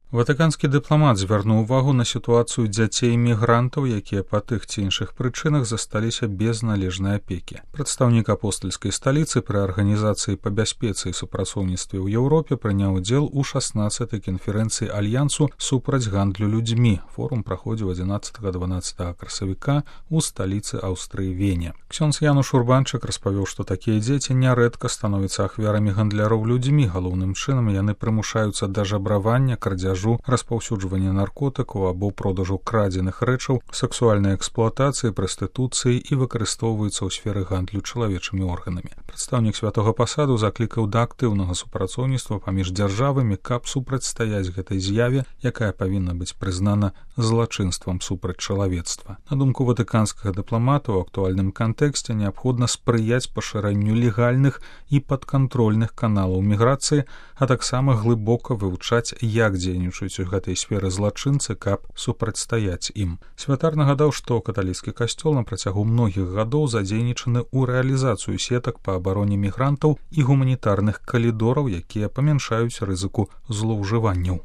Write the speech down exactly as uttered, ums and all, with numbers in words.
Ватыканскі дыпламат звярнуў увагу на сітуацыю дзяцей-мігрантаў, якія па тых ці іншых прычынах засталіся без належнай апекі. Прадстаўнік апостальскай сталіцы пры арганізацыі па бяспецы і супрацоўніцтве ў Еўропе прыняў удзел у шаснаццатай канферэнцыі альянсу супраць гандлю людзьмі. Форум праходзіў адзінаццатага-дванаццатага красавіка ў сталіцы Аўстрыі Вене. Ксёндз Януш Урбанчык распавёў, што такія дзеці нярэдка становяцца ахвярамі гандляроў людзьмі. Галоўным чынам яны прымушаюцца да жабравання, крадзяжу, распаўсюджвання наркотыкаў або продажу крадзеных рэчаў, сексуальнай эксплуатацыі, прастытуцыі і выкарыстоўваюцца ў сферы гандлю чалавечымі органамі. Прадстаўнік святога пасаду заклікаў да актыўнага супрацоўніцтва паміж дзяржавамі, каб супрацьстаяць гэтай з'яве, якая павінна быць прызнана злачынствам супраць чалавецтва. На думку ватыканскага дыпламата, у актуальным кантэксце неабходна спрыяць пашырэнню легальных і падкантрольных каналаў міграцыі, а таксама глыбока вывучаць, як дзейнічаюць у гэтай сферы злачынцы, каб супрацьстаяць ім. Святар нагадаў, што каталіцкі касцёл на працягу многіх гадоў задзейнічаны ў рэалізацыю сетак па абароне мігрантаў і гуманітарных калідораў, якія памяншаюць рызыку злоўжыванняў.